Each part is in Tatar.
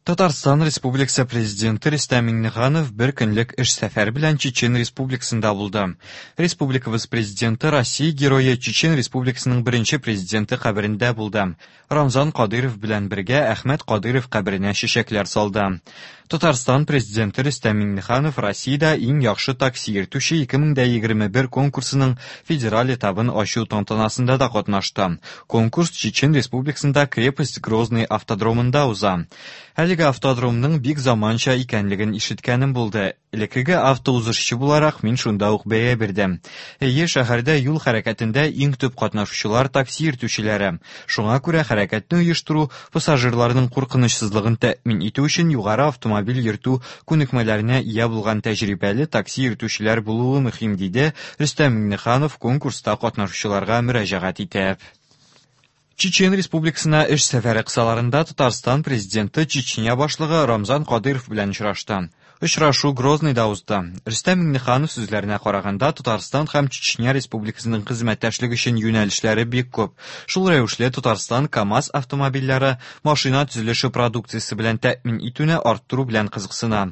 Татарстан Республикасы Президенты Рөстәм Миңнеханов бер көнлек эш сәфәре белән Чечен Республикасында булды. Республикабыз Президенты Россия Герое Чечен Республикасының беренче президенты каберендә булды. Рамзан Кадыйров белән бергә Әхмәт Кадыйров каберенә чәчәкләр салды. Татарстан Президенты Рөстәм Миңнеханов Россиядә иң яхшы такси йөртүче 2021 конкурсының федераль этабын ачу тантанасында да катнашты. Конкурс Чечен Республикасында Крепость Грозный автодромында уза. Әлеге автодромның бик заманча икәнлеген ишеткәнем булды. Элеккеге автоузышчы буларак, мин шунда ук бәя бирдем. Әйе, шәһәрдә юл хәрәкәтендә иң төп катнашучылар такси йөртүчеләре. Шуңа күрә хәрәкәтне оештыру, пассажирларның куркынычсызлыгын тәэмин итү өчен югары автомобиль йөртү күнекмәләренә ия булган тәҗрибәле такси йөртүчеләр булуы мөһим, диде Рөстәм Миңнеханов конкурста катнашучыларга мөрәҗәгать итеп. Чечен Республикасына эш сәфәре кысаларында Татарстан Президенты Чечня башлыгы Рамзан Кадыйров белән очрашты. Очрашу Грозныйда узды. Рөстәм Миңнеханов сүзләренә караганда, Татарстан һәм Чечня Республикасының хезмәттәшлек өчен юнәлешләре бик күп. Шул рәвешле Татарстан КАМАЗ автомобильләре, машина төзелеше продукциясе белән тәэмин итүне арттыру белән кызыксына.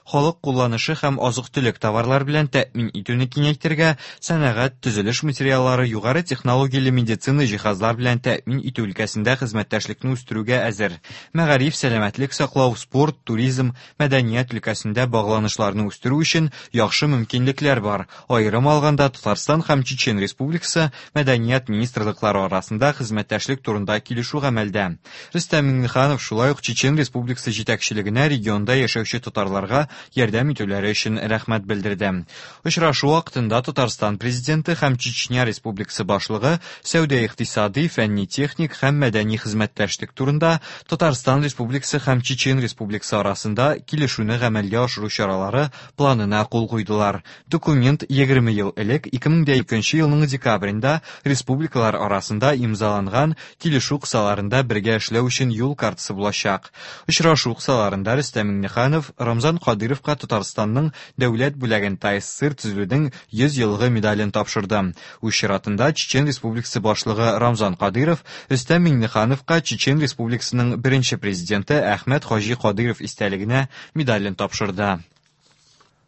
Халык кулланышы һәм азык-төлек товарлар белән тәэмин итүне киңәйтергә, сәнәгать, төзелеш материаллары, югары технологияле медицина җиһазлар белән тәэмин итү өлкәсендә хезмәттәшлекне үстерүгә әзер. Мәгариф, сәламәтлек саклау, спорт, туризм, мәдәният өлкәсендә багланышларны үстерү өчен яхшы мөмкинлекләр бар. Аерым алганда, Татарстан һәм Чечен Республикасы мәдәният министрлыклары арасында хезмәттәшлек турында килешү гамәлдә. Рөстәм Миңнеханов шулай ук Чечен Республикасы җитәкчелегенә регионда яшәүче татарларга ярдәм итүләре өчен рәхмәт белдерде. Очрашу вакытында Татарстан Президенты һәм Чечня Республикасы башлыгы сәүдә-икътисадый, фәнни-техник һәм мәдәни хезмәттәшлек турында Татарстан Республикасы һәм Чечен Республикасы арасында килешүне гамәлгә ашыру чаралары планына кул куйдылар. Документ 20 ел элек 2002 елның декабрендә республикалар арасында имзаланган килешү кысаларында бергә эшләү өчен юл картасы булачак. Очрашу кысаларында Рөстәм Миңнеханов Рамзан Кадыйровка Татарстанның дәүләт бүләген ТАССР төзелүнең 100 еллыгы медален тапшырды. Үз чиратында Чечен Республикасы башлыгы Рамзан Кадыйров Рөстәм Миңнехановка Чечен Республикасының беренче президенты Әхмәт Хаҗи Кадыйров истәлегенә медален тапшырды.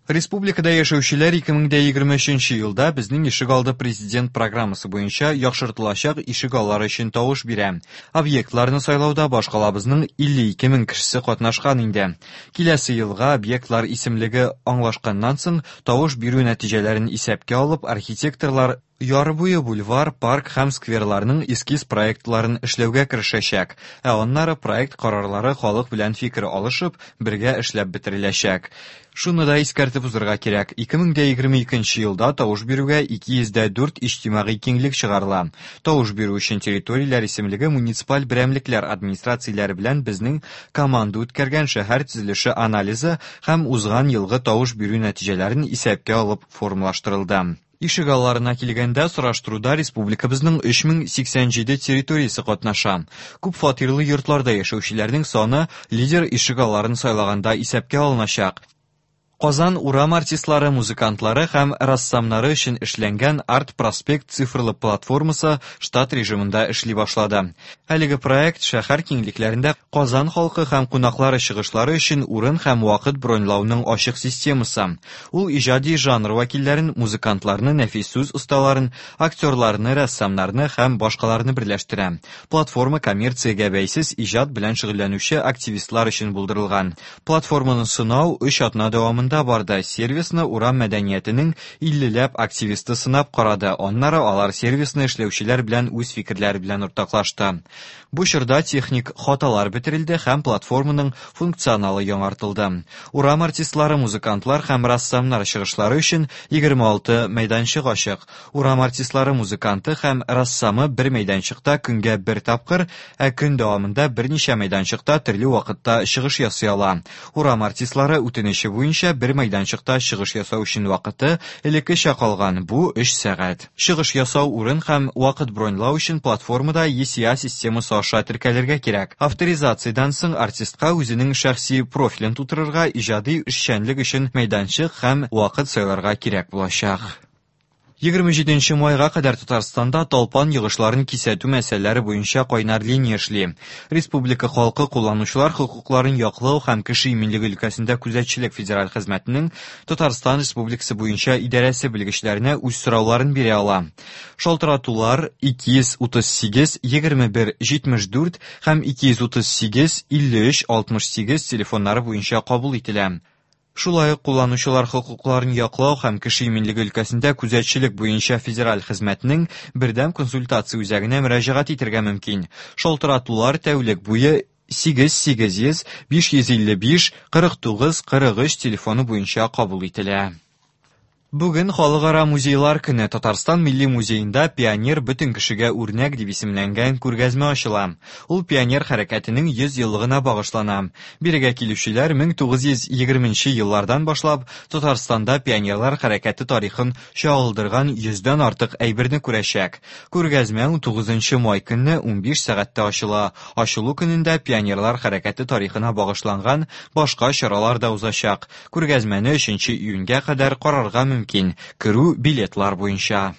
Республикада яшәүчеләр 2023 елда Безнең ишегалды президент программасы буенча яхшыртылачак ишегаллары өчен тавыш бирә. Объектларны сайлауда башкалабызның 52 мең кешесе катнашкан инде. Киләсе елга объектлар исемлеге аңлашканнан соң, тавыш бирү нәтиҗәләрен исәпкә алып, архитекторлар Яр буе бульвар, парк һәм скверларның эскиз проектларын эшләүгә керешәчәк, ә аннары проект карарлары халык белән фикер алышып, бергә эшләп бетереләчәк. Шуны да искәртеп узырга кирәк, 2022 елда тавыш бирүгә 204 иҗтимагый киңлек чыгарыла. Тавыш бирү өчен территорияләр исемлеге муниципаль берәмлекләр администрацияләре белән безнең команда үткәргән шәһәр төзелеше анализы һәм узган елгы тавыш бирү нәтиҗәләрен исәпкә алып формалаштырылды. Ишегалларына килгәндә, сораштыруда республикабызның 3087 территориясе катнаша. Күп фатирлы йортларда яшәүчеләрнең саны лидер ишегалларын сайлаганда исәпкә алыначак. Казан урам артистлары, музыкантлары һәм рәссамнары өчен эшләнгән Арт-проспект цифрлы платформасы штат режимында эшли башлады. Әлеге проект шәһәр киңлекләрендә Казан халкы һәм кунаклары чыгышлары өчен урын һәм вакыт броньлауның ачык системасы. Ул иҗади жанр вәкилләрен, музыкантларны, нәфис сүз осталарын, актерларны, рәссамнарны һәм башкаларны берләштерә. Платформа коммерциягә бәйсез иҗат белән шөгыльләнүче активистлар өчен булдырылган. Платформаны сынау өч атна дәвамында барды. Сервисны урам мәдәниятенең 50 ләп активисты сынап карады. Аннары алар сервисны эшләүчеләр белән үз фикерләре белән уртаклашты. Бу чорда техник хаталар бетерелде һәм платформаның функционалы яңартылды. Урам артистлары, музыкантлар һәм рәссамнар чыгышлары өчен 26 мәйданчык ачык. Урам артистлары, музыканты һәм рәссамы бер мәйданчыкта көнгә бер тапкыр, ә көн дәвамында берничә мәйданчыкта төрле вакытта чыгыш ясый ала. Урам артистлары үтенече буенча бер мәйданчыкта чыгыш ясау өчен вакыты элеккечә калган, бу 3 сәгать. Чыгыш ясау урын һәм вакыт броньлау өчен платформада ECA системасы аша теркәлергә кирәк. Авторизациядән соң артистка үзенең шәхси профилен тутырырга, иҗади эшчәнлек өчен мәйданчык һәм вакыт сайларга кирәк булачак. 27 майга кадәр Татарстанда талпан йогышларын кисәтү мәсьәләләре буенча кайнар линия эшли. Республика халкы кулланучылар хокукларын яклау һәм кеше иминлеге өлкәсендә күзәтчелек федераль хезмәтенең Татарстан Республикасы буенча идарәсе белгечләренә үз сорауларын бирә ала. Шалтыратулар 238 21 74 һәм 238 53 68 телефоннары буенча кабул ителә. Шулай ук кулланучылар хокукларын яклау һәм кеше иминлеге өлкәсендә күзәтчелек буенча федераль хезмәтнең бердәм консультация үзәгенә мөрәҗәгать итәргә мөмкин. Шалтыратулар тәүлек буе 8 800 555 49 43 телефоны буенча кабул ителә. Бүген Халыкара музейлар көне. Татарстан Милли музеенда «Пионер бөтен кешегә үрнәк» дип исемләнгән күргәзмә ачыла. Ул пионер хәрәкәтенең 100 еллыгына багышлана. Бирегә килүчеләр 1920 нче еллардан башлап Татарстанда пионерлар хәрәкәте тарихын чагылдырган йөздән артык әйберне күрәчәк. Күргәзмә 19 май көнне 15 сәгатьтә ачыла. Ачылу көнендә пионерлар хәрәкәте тарихына багышланган башка чаралар да узачак. Күргәзмәне 3 июньгә кадәр карарга мөмкин. Керү билетлар буенча.